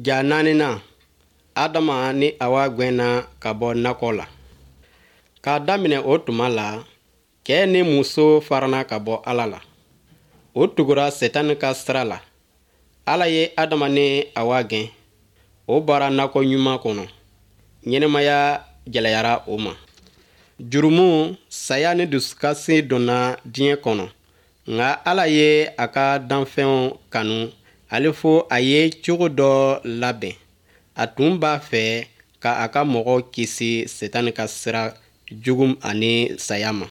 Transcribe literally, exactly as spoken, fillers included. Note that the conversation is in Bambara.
Ja naaninan, Adama ni Awa gwɛnna ka bɔ nakɔ la. K'a daminɛ o tuma la, cɛɛ ni muso farana ka bɔ Ala la. O tugura Setani ka sira la. Ala ye Adama ni Awa gɛn. O bɔra nakɔ ɲuman kɔnɔ. Ɲɛnamaya gɛlɛyara o ma. Jurumu, saya ni dusukasi donna diɲɛ kɔnɔ. Nka Ala ye a ka danfɛnw kanu hali fo a ye cogo dɔ labɛn. A tun b'a fɛ ka a ka mɔgɔw kisi Setani ka sira jugu ani saya ma.